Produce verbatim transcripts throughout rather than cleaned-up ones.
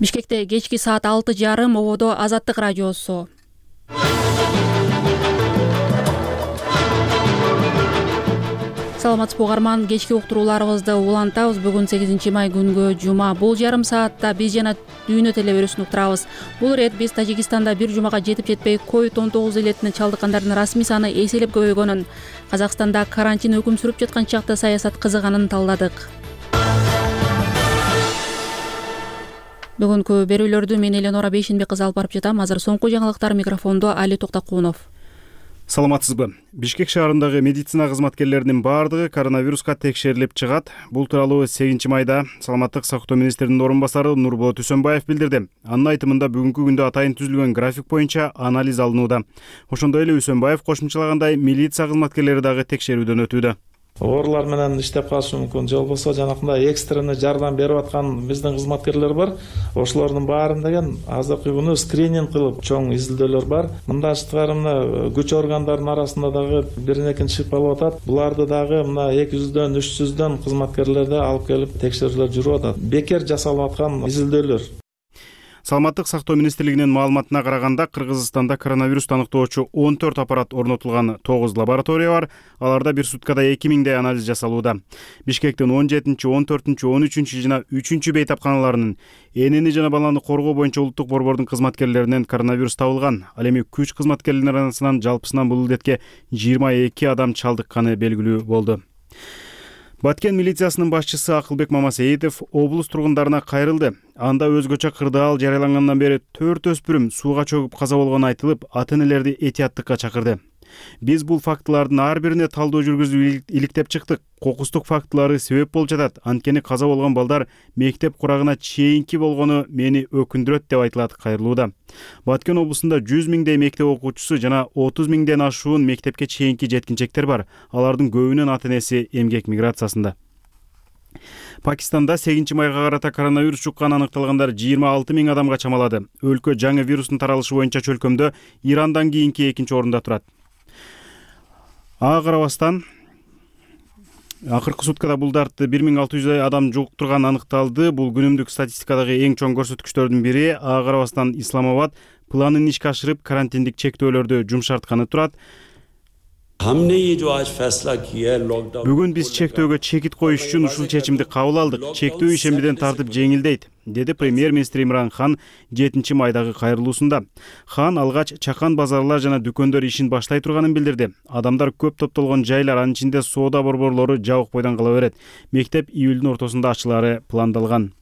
Бишкекте кечки саат алты жарым ободо Азаттык радиосу. Саламатсызбы угарман, кечки уктурууларыбызды улантабыз. Бүгүн сегизинчи май күнгө жума. Бул жарым саатта биз жана дүйнө телеберүүсүн уктурабыз. Бул ирет биз Тажикстанда бир жумага жетип жетпей ковид он тогуз илетине чалдыккандардын расмий саны эселеп көбөйгөнүн, Казакстанда карантин өкүм сүрүп жаткан чакта саясат кызыганын талдадык. Бүгүнкү берүүлөрдү мен Эленора Бейшенбек кызы алып барып жатам. Азыр соңку жаңылыктар, микрофондо Али Токтокунов. Саламатсызбы? Бишкек шаарындагы медицина кызматкерлеринин баардыгы коронавируска текшерилип чыгат. Бул тууралуу сегизинчи майда Саламаттык сактоо министринин орун басары Нурболот Үсөнбаев билдирди. Анын айтымында бүгүнкү күндө атайын түзүлгөн график боюнча анализ алынууда. Ошондой эле Үсөнбаев кошумчалагандай, милиция кызматкерлери дагы текшерүүдөн өтүүдө. Оорулар менен иштеп калышы мүмкүн, же болбосо жанакындай экстренный жардам берип аткан биздин кызматкерлер бар. Ошолордун баарын деген азыркы күнү скрининг кылып чоң изилдөөлөр бар. Мындан тышкары мына күч органдарынын арасында дагы бирин экинчи шыйпалып атат. Буларды дагы мына эки жүздөн үч жүздөн кызматкерлерди алып келип текшерүүлөр жүрүп атат. Бекер жасалып аткан изилдөөлөр. Саламаттык сактоо министрлигинин маалыматына караганда, Кыргызстанда коронавирусту аныктоочу он төрт аппарат орнотулган, тогуз лаборатория бар. Аларда бир суткада эки миңдей анализ жасалууда. Бишкектин он жетинчи, он төртүнчү, он үчүнчү жана үчүнчү бейтапканаларынын энени жана баланы коргоо боюнча улуттук борбордун кызматкерлеринен коронавирус табылган. Ал эми күч кызматкерлеринин арасынан жалпысынан бул илетке жыйырма эки адам чалдыкканы белгилүү болду. Баткен милициясынын башчысы Акылбек Мамасеитов облус тургундарына кайрылды. Анда өзгөчө кырдаал жарыялангандан бери төрт өспүрүм сууга чөгүп каза болгону айтылып, ата-энелерди этияттыкка чакырды. Биз бул фактылардын ар бирине талдоо жүргүзүп иликтеп чыктык. Кокустук фактылары себеп болуп жатат. Анткени каза болгон балдар мектеп курагына чейинки болгону мени өкүндүрөт деп айтылат кайрылууда. Баткен облусунда жүз миңдей мектеп окуучусу жана отуз миңден ашуун мектепке чейинки жеткинчектер бар. Алардын көбүнүн ата-энеси эмгек миграциясында. Пакистанда сегизинчи майга карата коронавирус жукканы аныкталгандар жыйырма алты миң адамга чамалады. Өлкө жаңы вирустун таралышы боюнча чөлкөмдө Ирандан кийинки экинчи орунда турат. Ага карабастан акыркы суткада бул дартты бир миң алты жүздөй адам жуктурган аныкталды. Бул күнүмдүк статистикадагы эң чоң көрсөткүчтөрдүн бири. Ага карабастан Исламабад планын ишке ашырып, карантиндик чектөөлөрдү жумшартканы турат. Бүгүн биз чектөөгө чекит коюш үчүн ушул чечимди кабыл алдык. Чектөө ишембиден тартып жеңилдейт, деди премьер-министр Имран Хан жетинчи майдагы кайрылуусунда. Хан алгач чакан базарлар жана дүкөндөр ишин баштай турганын билдирди. Адамдар көп топтолгон жайлар, анын ичинде соода борборлору жабык бойдон кала берет. Мектеп июлдун ортосунда ачылары пландалган.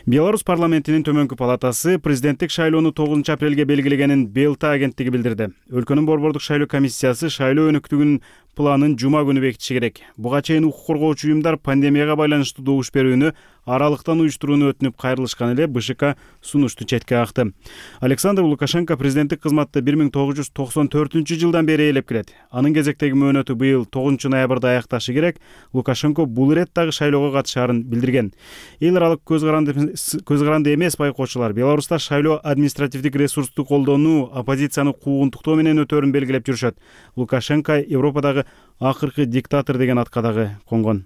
Беларусь парламентинин төмөнкү палатасы президенттик шайлоону тогузунчу апрелге белгилегенин БЛТ агенттиги билдирди. Өлкөнүн борбордук шайлоо комиссиясы шайлоо өнөктүгүнүн планын жума күнү бекитиши керек. Буга чейин укук коргоочу уюмдар пандемияга байланыштуу добуш берүүнү аралыктан уюштурууну өтүнүп кайрылышкан эле БШК сунушту четке какты. Александр Лукашенко президенттик кызматты бир миң тогуз жүз токсон төртүнчү жылдан бери ээлеп келет. Анын кезектеги мөөнөтү быйыл тогузунчу ноябрда аякташы керек. Лукашенко бул ирет дагы шайлоого катышаарын билдирген. Эл аралык көз каранды көз каранды эмес байкоочулар Беларуста шайлоо административдик ресурсту колдонуу, оппозицияны куугунтуктоо менен өтөөрүн белгилеп жүрүшөт. Лукашенко Европадагы акыркы диктатор деген атка дагы конгон.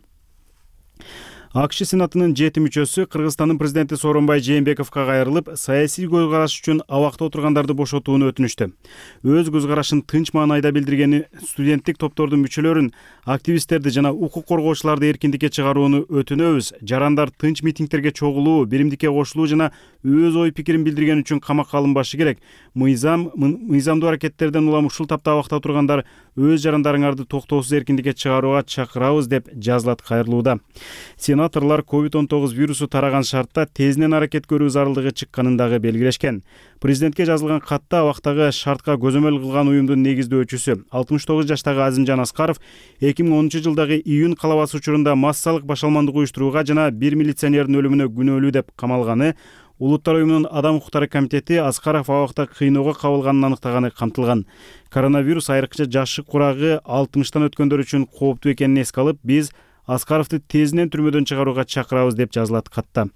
АКШ Сенатынын жети мүчөсү Кыргызстандын президенти Сооронбай Жээнбековго кайрылып, саясий көз караш үчүн абакта отургандарды бошотууну өтүнүштү. Өз көз карашын тынч маанайда билдиргени студенттик топтордун мүчөлөрүн, активисттерди жана укук коргоочуларды эркиндикке чыгарууну өтүнөбүз. Жарандар тынч митингтерге чогулуу, биримдикке кошулуу жана өз ой пикирин билдирген үчүн камакка алынбашы керек. Мыйзам мыйзамдуу аракеттерден улам ушул тапта абакта тургандар өз жарандарыңарды токтоосуз эркиндикке чыгарууга чакырабыз деп жазылат кайрылууда. Сенаторлор ковид он тогуз вирусу тараган шартта тезинен аракет көрүү зарылдыгы чыкканын дагы белгилешкен. Президентке жазылган катта абактагы шартка көзөмөл кылган уюмдун негиздөөчүсү алтымыш тогуз жаштагы Азимжан Аскаров эки миң онунчу жылдагы июнь калабасы учурунда массалык башалмандык уюштурууга жана бир милиционердин өлүмүнө күнөөлүү деп камалганы, Улуттар уюмунун Адам укуктары комитети Аскаров абакта кыйноого кабылганын аныктаганы камтылган. Коронавирус айрыкча жашы курагы алтымыштан өткөндөр үчүн кооптуу экенин эске алып, биз Аскаровду тезинен түрмөдөн чыгарууга чакырабыз деп жазылат катта.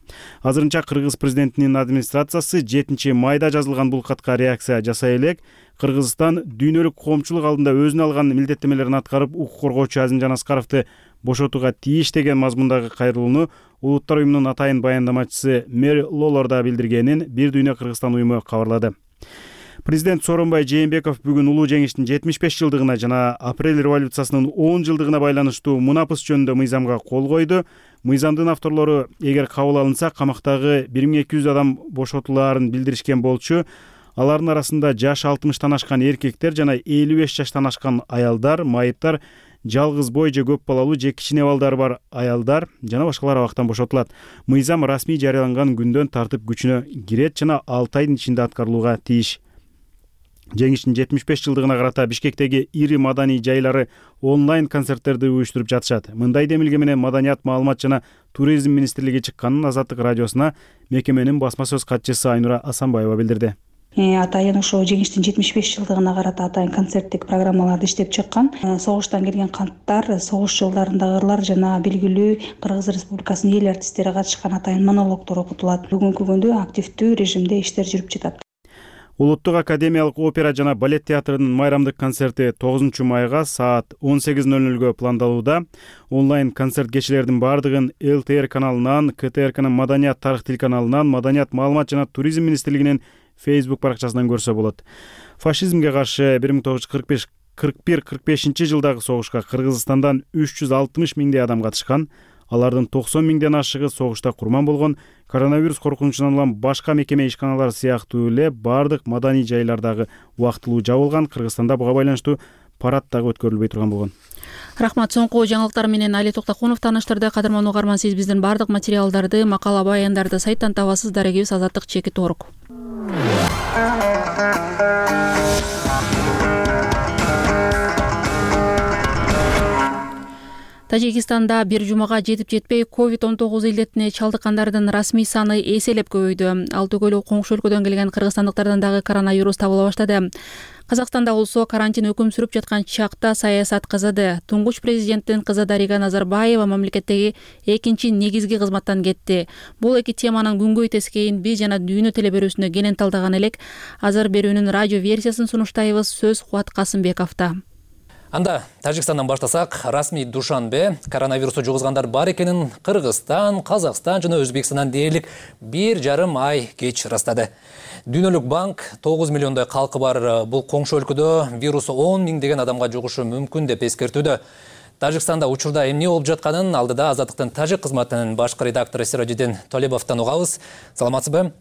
Азырынча Кыргыз президентинин администрациясы жетинчи майда жазылган бул катка реакция жасай элек. Кыргызстан дүйнөлүк коомчулук алдында өзүнө алган милдеттемелерин аткарып, укук коргоочу Азимжан Аскаровду бошотууга тийиш деген мазмундагы кайрылууну Улуттар уюмунун атайын баяндамачысы Мэри Лолор да билдиргенин Бир дүйнө Кыргызстан уюму кабарлады. Президент Сооронбай Жээнбеков бүгүн улуу жеңиштин жетимиш беш жылдыгына жана апрель революциясынын он жылдыгына байланыштуу мунапыс жөнүндө мыйзамга кол койду. Мыйзамдын авторлору эгер кабыл алынса, камактагы бир миң эки жүз адам бошотулаарын билдиришкен болчу. Алардын арасында жашы алтымыштан ашкан эркектер жана элүү беш жаштан ашкан аялдар, майыптар, жалгыз бой же көп балалуу же кичине балдары бар аялдар жана башкалар абактан бошотулат. Мыйзам расмий жарыяланган күндөн тартып күчүнө кирет жана алты айдын ичинде аткарылууга тийиш. Жеңиштин жетимиш беш жылдыгына карата Бишкектеги ири маданий жайлары онлайн концерттерди уюштуруп жатышат. Мындай демилге менен Маданият, маалымат жана туризм министрлиги чыкканын Азаттык радиосуна мекеменин басма сөз катчысы Айнура Асанбаева билдирди. Атайын ошо жеңиштин жетимиш беш жылдыгына карата атайын концерттик программаларды иштеп чыккан. Согуштан келген канттар, согуш жылдарындагы ырлар жана белгилүү Кыргыз Республикасынын эл артисттери катышкан атайын монологдор окутулат. Бүгүнкү күндө активдүү режимде иштер жүрүп жатат. Улуттук академиялык опера жана балет театрынын майрамдык концерти тогузунчу майга саат он сегиз ноль нольго пландалууда. Онлайн концерт кечелердин бардыгын эл тэ эр каналынан, ка тэ эр кнын Маданият тарых телеканалынан, Маданият, маалымат жана туризм министрлигинин Facebook баракчасынан көрсө болот. Фашизмге каршы бир миң тогуз жүз кырк беш кырк бир кырк бешинчи жылдагы согушка Кыргызстандан үч жүз алтымыш миңдей адам катышкан. Алардын токсон миңден ашыгы согушта курман болгон. Коронавирус коркунучунан улам башка мекеме ишканалар сыяктуу эле бардык маданий жайлардагы убактылуу жабылган. Кыргызстанда буга байланыштуу парад дагы өткөрүлбөй турган болгон. Рахмат. Соңку жаңылыктар менен Али Токтокунов тааныштырды. Кадырман угарман, сиз биздин бардык материалдарды, макала баяндарды сайттан табасыз. Дарегибиз Азаттык чекит орг. Тажикистанда бир жумага жетип жетпей ковид он тогуз илдетине чалдыккандардын расмий саны эселеп көбөйдү. Ал түгөлү коңшу өлкөдөн келген кыргызстандыктардан дагы коронавирус табыла баштады. Казакстанда болсо карантин өкүм сүрүп жаткан чакта саясат кызыды. Туңгуч президенттин кызы Дарига Назарбаева мамлекеттеги экинчи негизги кызматтан кетти. Бул эки теманын күнгөй тескейин биз жана Дүйнө телеберүүсүнө кенен талдаган элек. Азыр берүүнүн радио версиясын сунуштайбыз. Сөз Кубат Касымбековдо. Анда Тажикстандан баштасак, расмий Душанбе коронавирусу жугузгандар бар экенин Кыргызстан, Казакстан жана Өзбекстандан дээрлик бир жарым ай кеч ырастады. Дүйнөлүк банк тогуз миллиондой калкы бар бул коңшу өлкөдө вирусу он миңдеген адамга жугушу мүмкүн деп эскертүүдө. Тажикстанда учурда эмне болуп жатканын алдыда Азаттыктын тажик кызматынын башкы редактору Сироджидин Толебовдон угабыз. Саламатсызбы?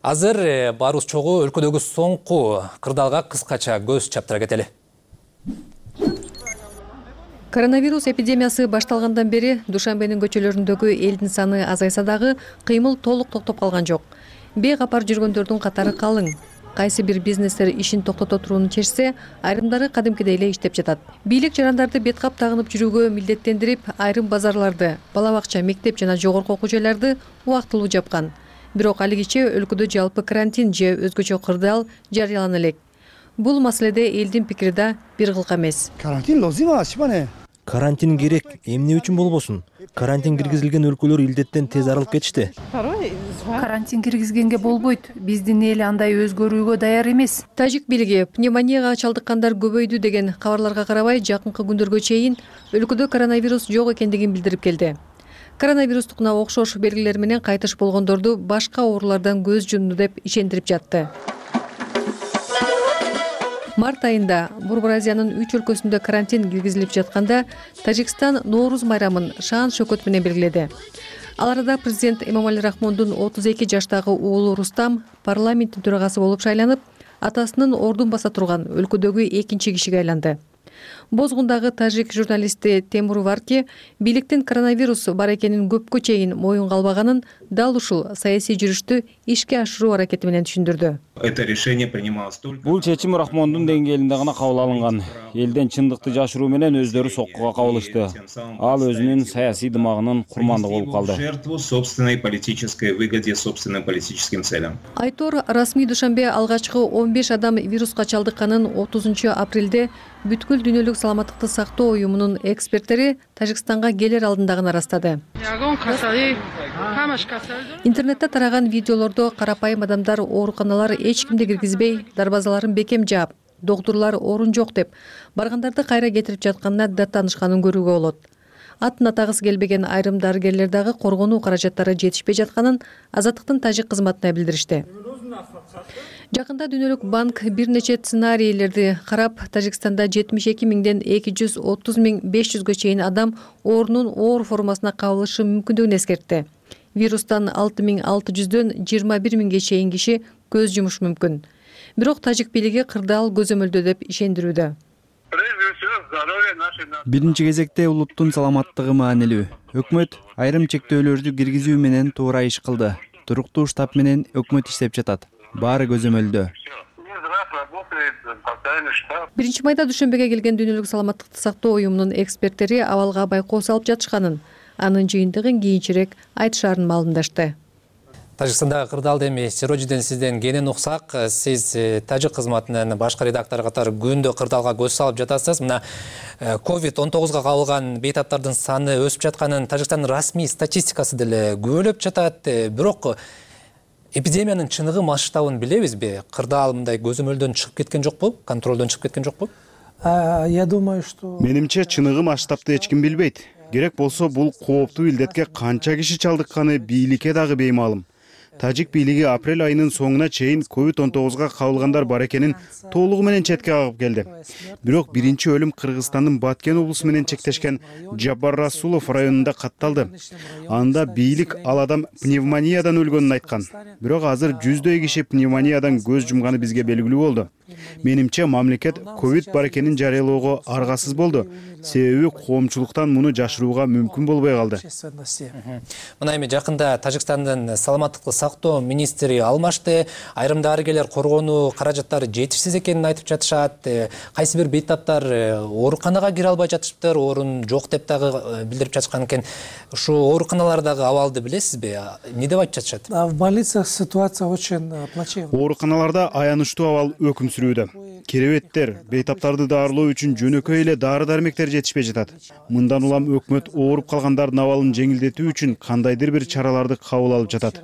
Азыр барыбыз чогуу өлкөдөгү соңку кырдаалга кыскача көз чаптыра кетели. Коронавирус эпидемиясы башталгандан бери Душанбенин көчөлөрүндөгү элдин саны азайса дагы кыймыл толук токтоп калган жок. Бейкапар жүргөндөрдүн катары калың. Кайсы бир бизнестер ишин токтото турууну чечсе, айрымдары кадимкидей эле иштеп жатат. Бийлик жарандарды бет кап тагынып жүрүүгө милдеттендирип, айрым базарларды, бала бакча, мектеп жана жогорку окуу жайларды убактылуу жапкан. Бирок алигиче өлкөдө жалпы карантин же өзгөчө кырдаал жарыялана элек. Бул маселеде элдин пикири да бир кылка эмес. Карантин лозима, шипане. Карантин керек, эмне үчүн болбосун? Карантин киргизилген өлкөлөр илдеттен тез арылып кетишти. Карантин киргизгенге болбойт. Биздин эл андай өзгөрүүгө даяр эмес. Тажик бийлиги пневмонияга чалдыккандар көбөйдү деген кабарларга карабай, жакынкы күндөргө чейин өлкөдө коронавирус жок экендигин билдирип келди. Коронавирустукуна окшош белгилер менен кайтыш болгондорду башка оорулардан көз жумду деп ишендирип жатты. Март айында Борбор Азиянын үч өлкөсүндө карантин киргизилип жатканда Тажикстан Нооруз майрамын шаан шөкөт менен белгиледи. Ал арада президент Эмомали Рахмондун отуз эки жаштагы уулу Рустам парламенттин төрагасы болуп шайланып, атасынын ордун баса турган өлкөдөгү экинчи кишиге айланды. Бозгундагы тажик журналисти Темур Варки бийликтин коронавирус бар экенин көпкө чейин моюнга албаганын дал ушул саясий жүрүштү ишке ашыруу аракети менен түшүндүрдү. Бул чечим Рахмондун деңгээлинде гана кабыл алынган. Элден чындыкты жашыруу менен өздөрү соккуга кабылышты. Ал өзүнүн саясий дымагынын курмандыгы болуп калды. Айтор расмий Душанбе алгачкы он беш адам вируска чалдыкканын отузунчу апрелде бүткүл дүйнөлүк саламаттыкты сактоо уюмунун эксперттери Тажикстанга келер алдындагын ырастады. Интернетте тараган видеолордо карапайым адамдар ооруканалар эч кимди киргизбей, дарбазаларын бекем жаап, доктурлар орун жок деп баргандарды кайра кетирип жатканына даттанышканын көрүүгө болот. Атын атагысы келбеген айрым дарыгерлер дагы коргонуу каражаттары жетишпей жатканын Азаттыктын тажик кызматына билдиришти. Жакында Дүйнөлүк банк бир нече сценарийлерди карап, Тажикстанда жетимиш эки миңден эки жүз отуз миң беш жүзгө чейин адам оорунун оор формасына кабылышы мүмкүндүгүн эскертти. Вирустан алты миң алты жүздөн жыйырма бир миңге чейин киши көз жумушу мүмкүн. Бирок тажик бийлиги кырдаал көзөмөлдөө деп ишендирүүдө. Биринчи кезекте улуттун саламаттыгы маанилүү. Өкмөт айрым чектөөлөрдү киргизүү менен туура иш кылды. Туруктуу штаб менен өкмөт иштеп жатат. Баары көзөмөлдө. Биринчи майда Дүйшөмбөгө келген Дүйнөлүк саламаттыкты сактоо уюмунун эксперттери абалга байкоо салып жатышканын, анын жыйынтыгын кийинчерээк айтышаарын маалымдашты. Тажикстандагы кырдаалда эми Сирожиден сизден кенен уксак, сиз тажик кызматынын башкы редактору катары күндө кырдаалга көз салып жатасыз. Мына ковид он тогузга кабылган бейтаптардын саны өсүп жатканын Тажикстандын расмий статистикасы деле күбөлөп жатат. Бирок эпидемиянын чыныгы масштабын билебизби? Кырдаал мындай көзөмөлдөн чыгып кеткен жокпу? Контролдон чыгып кеткен жокпу? Я думаю, что Менимче чыныгы масштабты эч ким билбейт. Керек болсо бул кооптуу илдетке канча киши чалдыкканы бийликке дагы беймаалым. Тажик бийлиги апрель айынын соңуна чейин ковид он тогузга кабылгандар бар экенин толугу менен четке кагып келди. Бирок биринчи өлүм Кыргызстандын Баткен облусу менен чектешкен Жабар Расулов районунда катталды. Анда бийлик ал адам пневмониядан өлгөнүн айткан. Бирок азыр жүздөй киши пневмониядан көз жумганы бизге белгилүү болду. Менимче мамлекет ковид бар экенин жарыялоого аргасыз болду. Себеби коомчулуктан муну жашырууга мүмкүн болбой калды. Мына эми жакында Тажикстандын саламаттыкты сактоо министри алмашты. Айрым дарыгерлер коргонуу каражаттары жетишсиз экенин айтып жатышат. Кайсы бир бейтаптар ооруканага кире албай жатышыптыр, орун жок деп дагы билдирип жатышкан экен. Ушу ооруканалардагы абалды билесизби? Эмне деп айтып жатышат? в больницах ситуация очень плачевная. Ооруканаларда аянычтуу абал өкүм сүрүүдө. Керебеттер, бейтаптарды даарылоо үчүн жөнөкөй эле дары-дармектер жетишпей жатат. Мындан улам өкмөт ооруп калгандардын абалын жеңилдетүү үчүн кандайдыр бир чараларды кабыл алып жатат.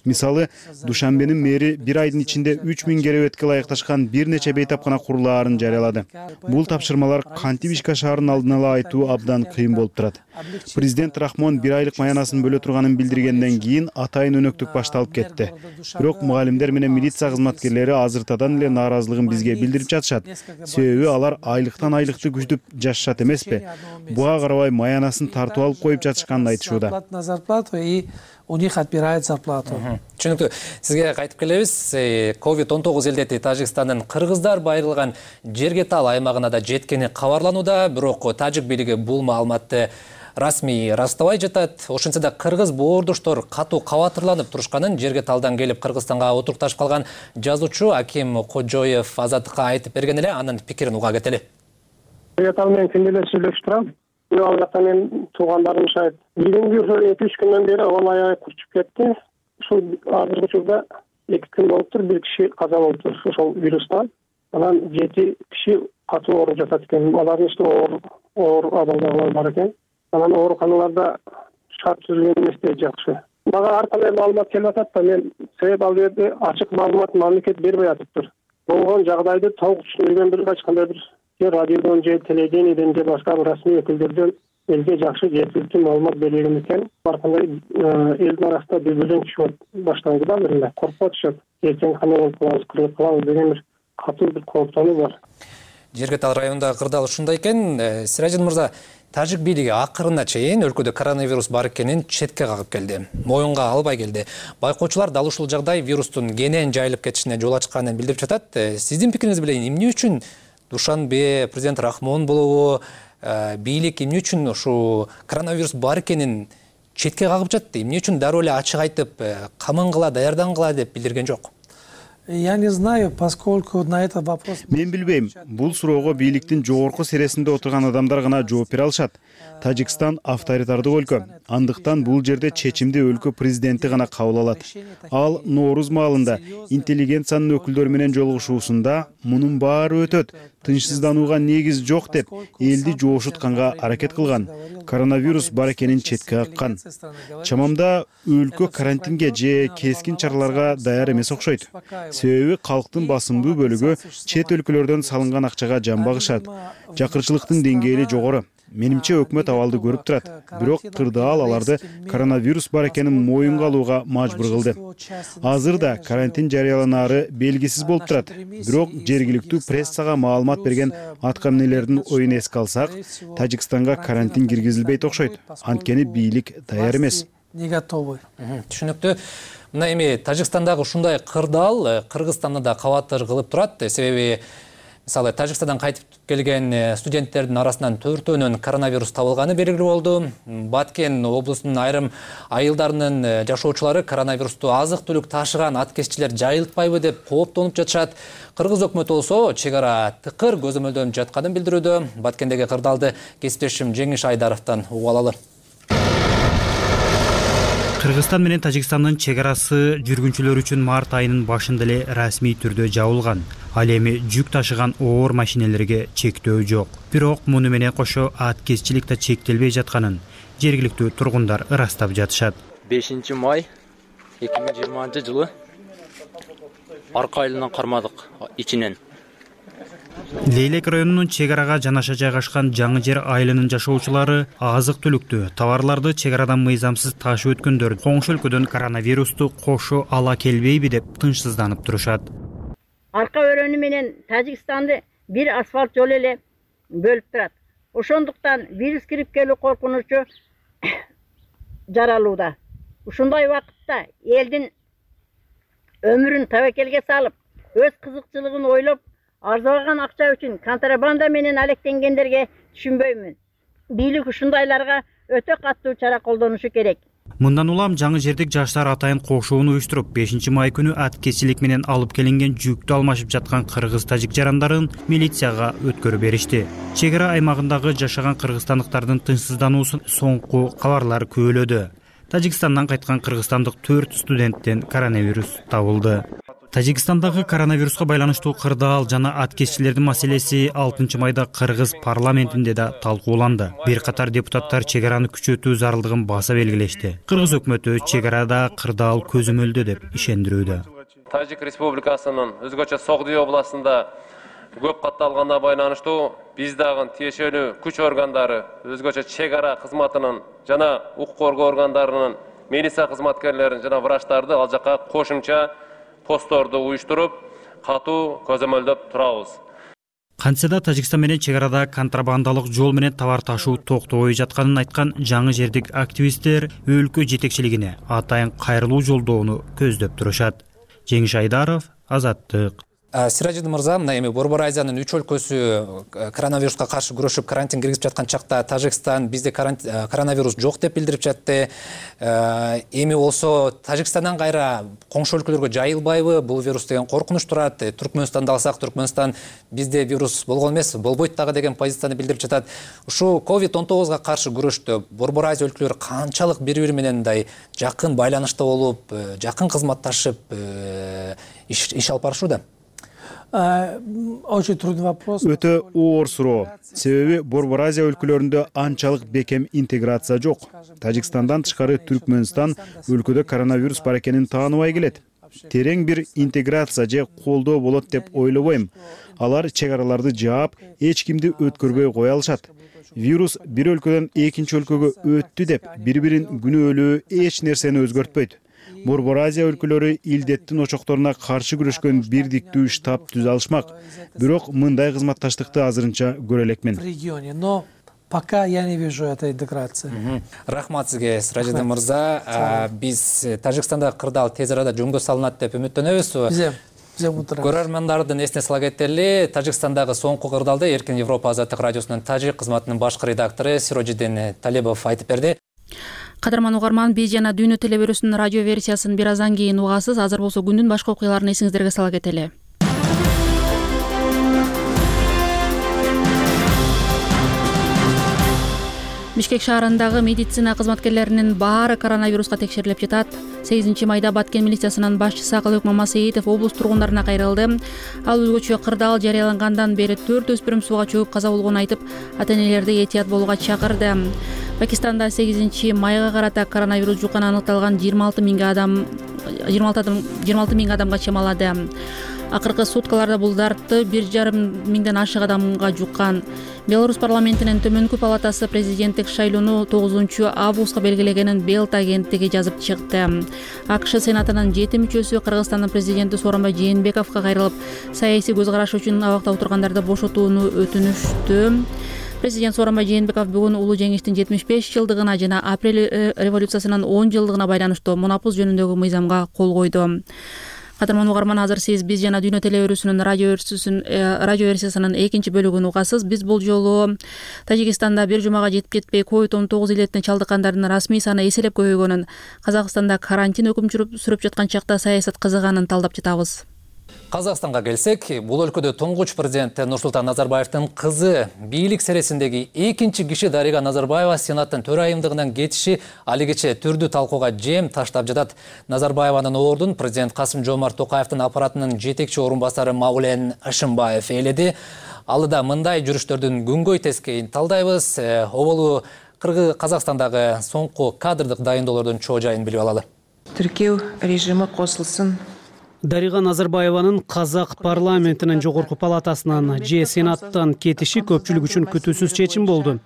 Мисалы, Душанбенин мэри бир айдын ичинде үч миң керебетке ылайыкташкан бир нече бейтапкана курулаарын жарыялады. Бул тапшырмалар кантип ишке ашаарын алдын ала айтуу абдан кыйын болуп турат. Президент Рахмон бир айлык маянасын бөлө турганын билдиргенден кийин атайын өнөктүк башталып кетти. Бирок мугалимдер менен милиция кызматкерлери азыртадан эле нааразылыгын бизге билдирип жатышат. Себеби алар айлыктан айлыкты күтүп жашашат эмеспи? Буга карабай маянасын тартып алып коюп жатышканын айтышууда. У них отбирают зарплату. Түшүнүктүү. Сизге кайтып келебиз. ковид он тогуз илдети Тажикстандын кыргыздар байырылган Жергетал аймагына да жеткени кабарланууда, бирок тажик бийлиги бул маалыматты расмий растабай жатат. Ошентсе да кыргыз боордоштор катуу кабатырланып турушканын Жергеталдан келип Кыргызстанга отурукташып калган жазуучу Аким Кожоев Азаттыкка айтып берген эле, анын пикирин уга кетели. Жергетал менен күндө эле сүйлөшүп турам. Ал жакта мен туугандарым шайт биринги эки үч күндөн бери кол аягы курчуп кетти. Ушул азыркы учурда эки күн болуптур, бир киши каза болуптур ошол вирустан. Анан жети киши катуу ооруп жатат экен. Алардын ичинде оор оор абалдагылар бар экен. Анан ооруканаларда шарт түзүлгөн эмес жакшы. Мага ар кандай маалымат келип атат да, мен себеп ал жерде ачык маалымат мамлекет бербей атыптыр. Болгон жагдайды толук түшүндүргөн бир эч кандай бир же радиодон же телевидениеден же башка расмий өкүлдөрдөн элге жакшы жеткиликтүү маалымат берилген экен. Ар кандай элдин арасында дүрбөлөң түшүп башталды да, биринде коркуп атышат. Эртең кандай болуп калабыз, кырылып калабыз деген бир катуу бир кооптонуу бар. Жергетал районундагы кырдаал ушундай экен. Сиражин мырза, тажик бийлиги акырына чейин өлкөдө коронавирус бар экенин четке кагып келди. Моюнга албай келди. Байкоочулар дал ушул жагдай вирустун кенен жайылып кетишине жол ачканын билдирип жатат. Сиздин пикириңизди билейин, эмне үчүн Душанбе, президент Рахмон болобу, бийлик эмне үчүн ушу коронавирус бар экенин четке кагып жатты? Эмне үчүн дароо эле ачык айтып, камангыла, даярдангыла деп билдирген жок? Я не знаю, поскольку на этот вопрос... Мен билбейм. Бул суроого бийликтин жогорку сересинде отурган адамдар гана жооп бере алышат. Тажикстан авторитардык өлкө. Андыктан бул жерде чечимди өлкө президенти гана кабыл алат. Ал Нооруз маалында интеллигенциянын өкүлдөрү менен жолугушуусунда мунун баары өтөт. тынчсызданууга негиз жок деп элди жоошутканга аракет кылган. Коронавирус бар экенин четке каккан. Чамамда өлкө карантинге же кескин чараларга даяр эмес окшойт. Себеби калктын басымдуу бөлүгү чет өлкөлөрдөн салынган акчага жан багышат. Жакырчылыктын деңгээли жогору. Менимче өкмөт абалды көрүп турат. Бирок кырдаал аларды коронавирус бар экенин моюнга алууга мажбур кылды. Азырда карантин жарыяланаары белгисиз болуп турат. Бирок жергиликтүү прессага маалымат берген аткаминелердин оюн эске алсак, Тажикстанга карантин киргизилбейт окшойт. Анткени бийлик даяр эмес. Не готовы. Түшүнүктүү. Мына эми Тажикстандагы ушундай кырдаал Кыргызстанды да кабаттыр кылып турат. Себеби мисалы Тажикстандан кайтып келген студенттердин арасынан төртөөнүн коронавирус табылганы белгилүү болду. Баткен облусунун айрым айылдарынын жашоочулары коронавирусту азык-түлүк ташыган аткезчилер жайылтпайбы деп кооптонуп жатышат. Кыргыз өкмөтү болсо чек ара тыкыр көзөмөлдөнүп жатканын билдирүүдө. Баткендеги кырдаалды кесиптешим Жеңиш Айдаровдон угуп алалы. Кыргызстан менен Тажикстандын чек арасы жүргүнчүлөр үчүн март айынын башында эле расмий түрдө жабылган. Ал эми жүк ташыган оор машинелерге чектөө жок. Бирок муну менен кошо аткезчилик да чектелбей жатканын жергиликтүү тургундар ырастап жатышат. бешинчи май эки миң жыйырманчы жылы арка айылынан кармадык ичинен. Лейлек районунун чек арага жанаша жайгашкан Жаңы жер айылынын жашоочулары азык-түлүктү, товарларды чек арадан мыйзамсыз ташып өткөндөр коңшу өлкөдөн коронавирусту кошо ала келбейби деп тынчсызданып турушат. Арка өрөнү менен Тажикстанды бир асфальт жол эле бөлүп турат. Ошондуктан вирус кирип келүү коркунучу жаралууда. Ушундай убакытта элдин өмүрүн табакелге салып, өз кызыкчылыгын ойлоп, арзаган акча үчүн контрабанда менен алектенгендерге түшүнбөймүн. Бийлик ушундайларга өтө каттуу чара колдонушу керек. Мындан улам Жаңы жердик жаштар атайын кошууну уюштуруп, бешинчи май күнү аткезчилик менен алып келинген жүктү алмашып жаткан кыргыз-тажик жарандарын милицияга өткөрүп беришти. Чек ара аймагындагы жашаган кыргызстандыктардын тынчсыздануусун соңку кабарлар күбөлөдү. Тажикстандан кайткан кыргызстандык төрт студенттен коронавирус табылды. Тажикстандагы коронавируска байланыштуу кырдаал жана аткезчилердин маселеси алтынчы майда Кыргыз парламентинде да талкууланды. Бир катар депутаттар чек араны күчөтүү зарылдыгын баса белгилешти. Кыргыз өкмөтү чек арада кырдаал көзөмөлдө деп ишендирүүдө. Тажик Республикасынын өзгөчө Согдуй областында көп катталганына байланыштуу биз дагы тиешелүү күч органдары, өзгөчө чек ара кызматынын жана укук коргоо органдарынын милиция кызматкерлерин жана врачтарды ал жака кошумча посторду уюштуруп, катуу көзөмөлдөп турабыз. Кантсе да Тажикстан менен чек арада контрабандалык жол менен товар ташуу токтобой жатканын айткан жаңы жердик активисттер өлкө жетекчилигине атайын кайрылуу жолдоону көздөп турушат. Жеңиш Айдаров, Азаттык. Сиражидин мырза, мына эми Борбор Азиянын үч өлкөсү коронавируска каршы күрөшүп карантин киргизип жаткан чакта Тажикстан бизде коронавирус жок деп билдирип жатты. Эми болсо Тажикстандан кайра коңшу өлкөлөргө жайылбайбы? Бул вирус деген коркунуч турат. Түркмөнстанды алсак, Түркмөнстан бизде вирус болгон эмес, болбойт дагы деген позицияны билдирип жатат. Ушу ковид он тогузга каршы күрөштө Борбор Азия өлкөлөрү канчалык бири-бири менен мындай жакын байланышта болуп, жакын кызматташып иш алып барышууда? Очень трудный вопрос. Өтө оор суроо. Себеби Борбор Азия өлкөлөрүндө анчалык бекем интеграция жок. Тажикстандан тышкары Түркмөнстан өлкөдө коронавирус бар экенин тааныбай келет. Терең бир интеграция же колдоо болот деп ойлобойм. Алар чек араларды жаап, эч кимди өткөрбөй кое алышат. Вирус бир өлкөдөн экинчи өлкөгө өттү деп бири-бирин күнөөлөө эч нерсени өзгөртпөйт. Борбор Азия өлкөлөрү илдеттин очокторуна каршы күрөшкөн бирдиктүү штаб түзө алышмак. Бирок мындай кызматташтыкты азырынча көрө элекмин. В регионе, но пока я не вижу этой интеграции. Рахмат сизге, Сиражидин мырза. Биз Тажикстанда кырдаал тез арада жөнгө салынат деп үмүттөнөбүз. Көрөрмандардын эсине сала кетели, Тажикстандагы соңку кырдаалды Эркин Европа Азаттык радиосунун тажик кызматынын башкы редактору Сиражидин Талебов айтып берди. Кадырман угарман, биз жана Дүйнө телебирүүсүнүн радио версиясын бир аздан кийин угасыз. Азыр болсо күндүн башка окуяларын эсиңиздерге сала кетели. Бишкек шаарындагы медицина кызматкерлеринин баары коронавируска текшерилип жатат. сегизинчи майда Баткен милициясынын башчысы Акылбек Мамасеитов облус тургундарына кайрылды. Ал өзгөчө кырдаал жарыялангандан бери төрт өспүрүм сууга чөгүп каза болгонун айтып, ата-энелерди этият болууга чакырды. Пакистанда сегизинчи майга карата коронавирус жукканы аныкталган жыйырма алты миң адам жыйырма алты миң адамга чамалады. Акыркы суткаларда бул дартты бир жарым миңден ашык адамга жуккан. Беларусь парламентинин төмөнкү палатасы президенттик шайлоону тогузунчу августка белгилегенин Белт агенттиги жазып чыкты. АКШ сенатынын жети мүчөсү Кыргызстандын президенти Сооронбай Жээнбековго кайрылып, саясий көз караш үчүн абакта отургандарды бошотууну өтүнүштү. Президент Сооронбай Жээнбеков бүгүн улуу жеңиштин жетимиш беш жылдыгына жана апрель революциясынын он жылдыгына байланыштуу монопуз жөнүндөгү мыйзамга кол койду. Кадырман угарман, азыр сиз биз жана Дүйнө телеөрүүсүнүн радио радио версиясынын экинчи бөлүгүн угасыз. Биз бул жолу Тажикстанда бир жумага жетип жетпей ковид он тогуз илетине чалдыккандардын расмий саны эселеп көбөйгөнүн, Казакстанда карантин өкүм сүрүп жаткан чакта саясат кызыганын талдап жатабыз. Казакстанга келсек, бул өлкөдө туңгуч президент Нурсултан Назарбаевдин кызы бийлик сересиндеги экинчи киши Дарига Назарбаева Сенаттын төрайымдыгынан кетиши алигече түрдүү талкууга жем таштап жатат. Назарбаеванын ордун президент Касым Жомарт Токаевдин аппаратынын жетекчи орун басары Маулен Ашымбаев ээледи. Алыда мындай жүрүштөрдүн күнгөй тескейин талдайбыз. Оболу Кыргыз Казакстандагы соңку кадрдык дайындоолордун чоо жайын билип алалы. Тиркөө режими косулсын. Дарига Назарбаеванын Казак парламентинин жогорку палатасынан же Сенаттан кетиши көпчүлүк үчүн күтүүсүз чечим болду.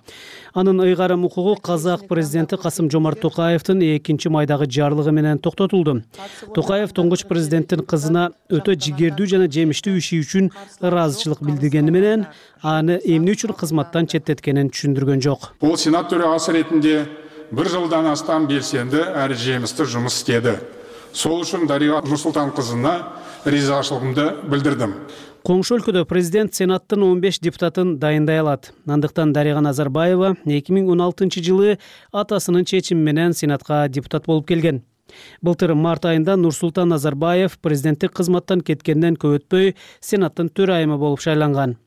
Анын ыйгарым укугу Казак президенти Касым Жомарт Токаевдин экинчи майдагы жарлыгы менен токтотулду. Токаев туңгуч президенттин кызына өтө жигердүү жана жемиштүү иши үчүн ыраазычылык билдиргени менен аны эмне үчүн кызматтан четтеткенин түшүндүргөн жок. Бул Сенат төрагасы ретинде бир жылдан астам белсенди әрі жемисті жұмыс істеді. Сол үшін Дарига Нурсултан кызына ризашылыгымды билдирдим. Коңшу өлкөдө президент Сенаттын он беш депутатын дайындай алат. Андыктан Дарига Назарбаева эки миң он алтынчы жылы атасынын чечими менен Сенатка депутат болуп келген. Былтыр март айында Нурсултан Назарбаев президенттик кызматтан кеткенден көп өтпөй Сенаттын төрайымы болуп шайланган.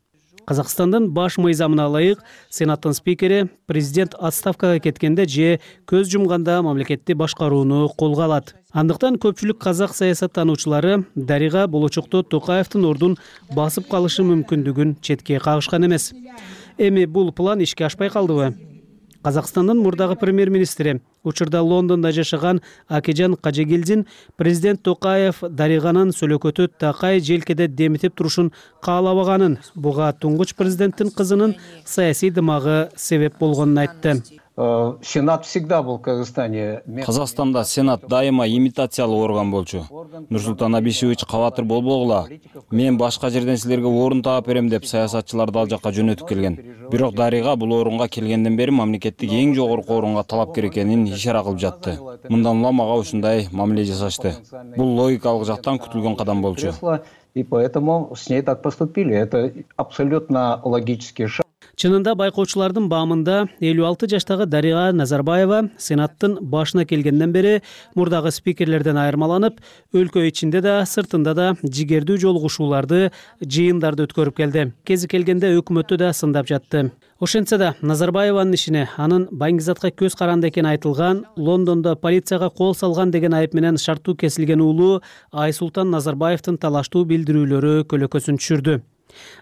Казакстандын баш мыйзамына ылайык Сенаттын спикери президент отставкага кеткенде же көз жумганда мамлекетти башкарууну колго алат. Андыктан көпчүлүк казак саясаттануучулары Дарига болочокто Токаевдин ордун басып калышы мүмкүндүгүн четке кагышкан эмес. Эми бул план ишке ашпай калдыбы? Казакстандын мурдагы премьер-министри, учурда Лондондо жашаган Акежан Кажегилдин президент Токаев Дариганын сөлөкөтү такай желкеде демитип турушун каалабаганын, буга туңгуч президенттин кызынын саясий дымагы себеп болгонун айтты. Сенат всегда был в Казахстане. Казахстанда Сенат дайыма имитациялуу орган болчу. Нурсултан Абишевич кабатыр болбогула. Мен башка жерден силерге орун таап берем деп саясатчыларды ал жакка жөнөтүп келген. Бирок Дарига бул орунга келгенден бери мамлекеттик эң жогорку орунга талапкер экенин ишара кылып жатты. Мындан улам мага ушундай мамиле жасашты. Бул логикалык жактан күтүлгөн кадам болчу. И поэтому с ней так поступили. Это абсолютно логический шаг. Чынында байкоочулардын баамында элүү алты жаштагы Дарига Назарбаева Сенаттын башына келгенден бери мурдагы спикерлерден айырмаланып, өлкө ичинде да, сыртында да жигердүү жолугушууларды, жыйындарды өткөрүп келди. Кези келгенде өкмөттү да сындап жатты. Ошентсе да Назарбаеванын ишине анын Баңгизатка көз каранды экени айтылган, Лондондо полицияга кол салган деген айып менен шарттуу кесилген уулу Айсултан Назарбаевдин талаштуу билдирүүлөрү көлөкөсүн түшүрдү.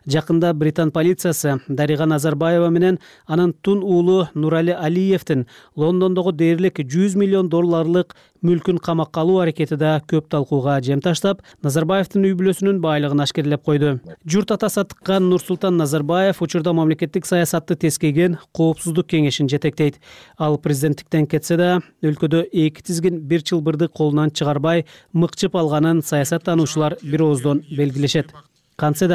Жакында Британ полициясы Дарига Назарбаева менен анын тун уулу Нурали Алиевдин Лондондогу дээрлик жүз миллион долларлык мүлкүн камакка алуу аракети да көп талкууга жем таштап, Назарбаевдин үй бүлөсүнүн байлыгын ашкерлеп койду. Журт атасы тыккан Нурсултан Назарбаев учурда мамлекеттик саясатты тескейген Коопсуздук кеңешин жетектейт. Ал президенттиктен кетсе да, өлкөдө эки тизгин бир чылбырды колунан чыгарбай мыкчып алганын саясаттануучулар бир ооздон белгилешет. Кантсе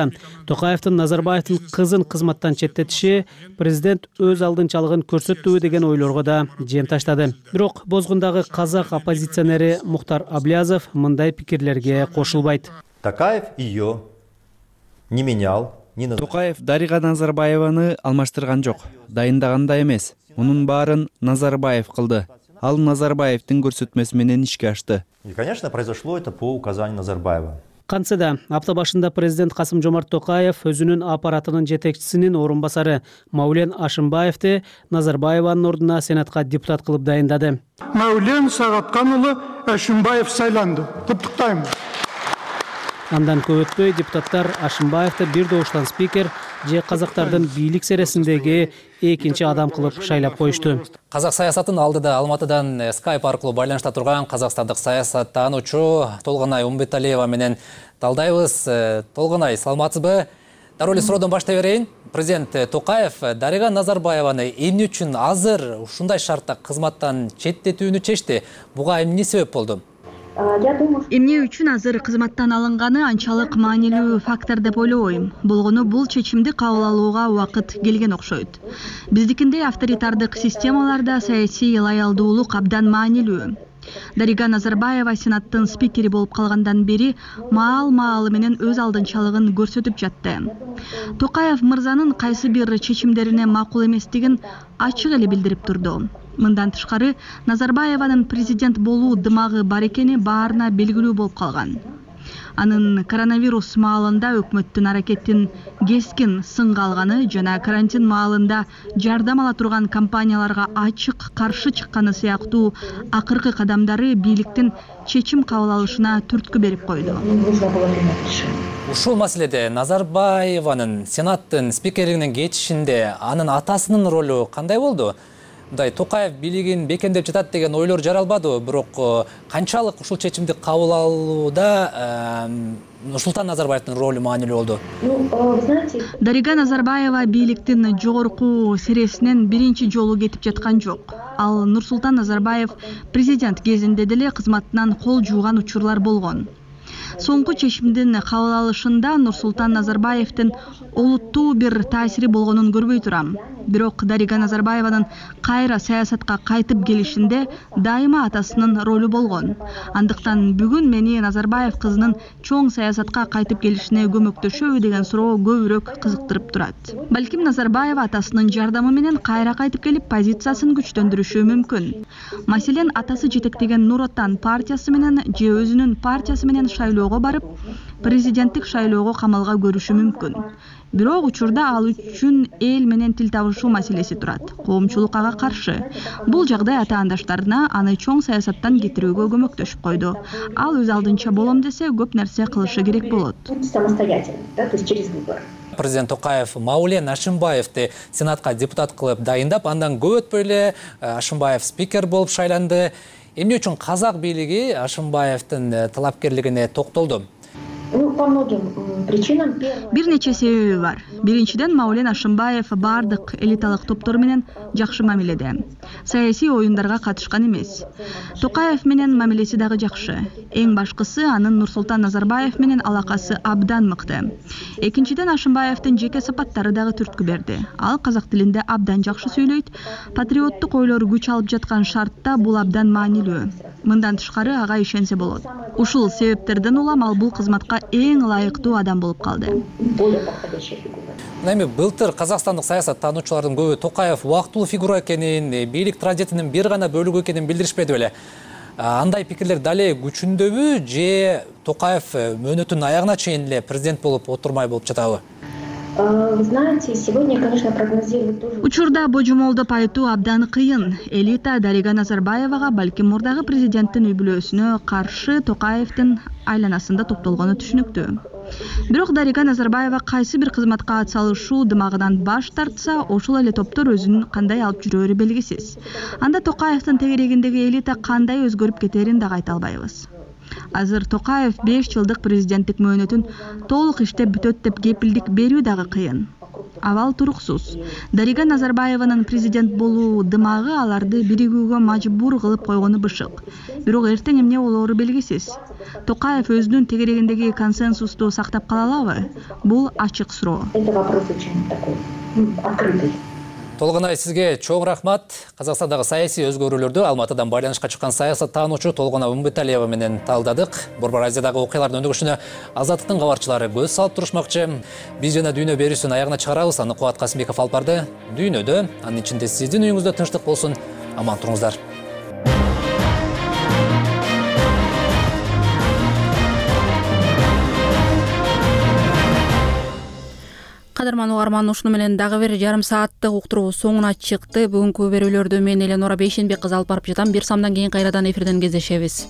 Токаевдин Назарбаевдин кызын кызматтан четтетиши президент өз алдынчалыгын көрсөттүбү деген ойлорго да жем таштады. Бирок Бозгундагы казак оппозиционери Мухтар Аблязов мындай пикирлерге кошулбайт. Токаев ее не менял. Токаев Дарига Назарбаеваны алмаштырган жок. Дайындаган да эмес. Мунун баарын Назарбаев кылды. Ал Назарбаевдин көрсөтмөсү менен ишке ашты. И, конечно, произошло это по указанию Назарбаева. Кантсе да апта башында президент Касым Жомарт Токаев өзүнүн аппаратынын жетекчисинин орун басары Маулен Ашымбаевди Назарбаеванын ордуна Сенатка депутат кылып дайындады. Маулен Сагаткан уулу Ашымбаев сайланды. Куттуктайм. Андан көп өтпөй депутаттар Ашымбаевди бир добуштан спикер же казактардын бийлик сересиндеги экинчи адам кылып шайлап коюшту. Казак саясатын алдыда Алматыдан скайп аркылуу байланышта турган казакстандык саясаттануучу Толгонай Умбеталиева менен талдайбыз. Толгонай, саламатсызбы? Дароо эле суроодон баштай берейин. Президент Токаев Дарига Назарбаеваны эмне үчүн азыр ушундай шартта кызматтан четтетүүнү чечти? Буга эмне себеп болду? Эмне үчүн азыр кызматтан алынганы анчалык маанилүү фактор деп ойлобойм. Болгону бул чечимди кабыл алууга убакыт келген окшойт. Биздикиндей авторитардык системаларда саясий лоялдуулук абдан маанилүү. Дарига Назарбаева Сенаттын спикери болуп калгандан бери маал-маалы менен өз алдынчалыгын көрсөтүп жатты. Токаев мырзанын кайсы бир чечимдерине макул эместигин ачык эле билдирип турду. Мындан тышкары Назарбаеванын президент болуу дымагы бар экени баарына белгилүү болуп калган. Анын коронавирус маалында өкмөттүн аракетин кескин сынга алганы жана карантин маалында жардам ала турган компанияларга ачык каршы чыкканы сыяктуу акыркы кадамдары бийликтин чечим кабыл алышына түрткү берип койду. Ушул маселеде Назарбаеванын Сенаттын спикерлигинен кетишинде анын атасынын ролу кандай болду? Мындай Токаев бийлигин бекемдеп жатат деген ойлор жаралбады, бирок канчалык ушул чечимди кабыл алууда Нурсултан Назарбаевдин ролу маанилүү болду? Дарига Назарбаева бийликтин жогорку сересинен биринчи жолу кетип жаткан жок. Ал Нурсултан Назарбаев президент кезинде деле кызматынан кол жууган учурлар болгон. Соңку чечимдин кабыл алышында Нурсултан Назарбаевдин олуттуу бир таасири болгонун көрбөй турам. Бирок Дарига Назарбаеванын кайра саясатка кайтып келишинде дайыма атасынын ролу болгон. Андыктан бүгүн мени Назарбаев кызынын чоң саясатка кайтып келишине көмөктөшөбү деген суроо көбүрөөк кызыктырып турат. Балким Назарбаева атасынын жардамы менен кайра кайтып келип позициясын күчтөндүрүшү мүмкүн. Маселен, атасы жетектеген Нур Отан партиясы менен же өзүнүн партиясы менен шайлоого барып, президенттик шайлоого камалга көрүшү мүмкүн. Бирок учурда ал үчүн эл менен тил табышуу маселеси турат. Коомчулук ага каршы. Бул жагдай атаандаштарына аны чоң саясаттан кетирүүгө көмөктөшүп койду. Ал өз алдынча болом десе, көп нерсе кылышы керек болот. Президент Токаев Маулен Ашымбаевди Сенатка депутат кылып дайындап, андан көп өтпөй эле Ашымбаев спикер болуп шайланды. Эмне үчүн казак бийлиги Ашымбаевдин талапкерлигине токтолду? Бир нече себеби бар. Биринчиден, Маулен Ашымбаев бардык элиталык топтор менен жакшы мамиледе. Саясий оюндарга катышкан эмес. Токаев менен мамилеси дагы жакшы. Эң башкысы, анын Нурсултан Назарбаев менен алакасы абдан мыкты. Экинчиден, Ашымбаевдин жеке сапаттары дагы түрткү берди. Ал казак тилинде абдан жакшы сүйлөйт. Патриоттук ойлор күч алып жаткан шартта бул абдан маанилүү. Мындан тышкары ага ишенсе болот. Ушул себептерден улам ал бул кызматка эң ылайыктуу адам болуп калды. Эми былтыр казакстандык саясаттануучулардын көбү Токаев убактылуу фигура экенин, бийлик транзитинин бир гана бөлүгү экенин билдиришпеди беле. Андай пикирлер дале күчүндөбү же Токаев мөөнөтүнүн аягына чейин эле президент болуп отурмай болуп жатабы? Вы знаете, сегодня, конечно, прогнозировать тоже... Учурда божомолдоп айтуу абдан кыйын. Элита Дарига Назарбаевага балким мурдагы президенттин үй бүлөсүнө каршы Токаевдин айланасында топтолгону түшүнүктүү. Бирок Дарига Назарбаева кайсы бир кызматка атсалышуу дымагынан баш тартса, ошол эле топтор өзүн кандай алып жүрөөрү белгисиз. Анда Токаевдин тегерегиндеги элита кандай өзгөрүп кетерин дагы айта албайбыз. Азыр Токаев беш жылдык президенттик мөөнөтүн толук иштеп бүтөт деп кепилдик берүү дагы кыйын. Абал туруксуз. Дарига Назарбаеванын президент болуу дымагы аларды биригүүгө мажбур кылып койгону бышык. Бирок эртең эмне болоору белгисиз. Токаев өзүнүн тегерегиндеги консенсусту сактап кала алабы? Бул ачык суроо. Это вопрос очень такой открытый. Толгонай, сизге чоң рахмат. Казакстандагы саясий өзгөрүүлөрдү Алматыдан байланышка чыккан саясаттануучу Толгонай Умбеталиева менен талдадык. Борбор Азиядагы окуялардын өнүгүшүнө Азаттыктын кабарчылары көз салып турушмакчы. Биз жана Дүйнө берүүсүн аягына чыгарабыз. Аны Кубат Касымбеков алып барды. Дүйнөдө, анын ичинде сиздин үйүңүздө тынчтык болсун. Аман туруңуздар. каарман угарман, ушуну менен дагы бир жарым сааттык уктуруу соңуна чыкты. Бүгүнкү берүүлөрдү мен Эленора Бейшенбек кызы алып барып жатам. Бир самдан кийин кайрадан эфирден кездешебиз.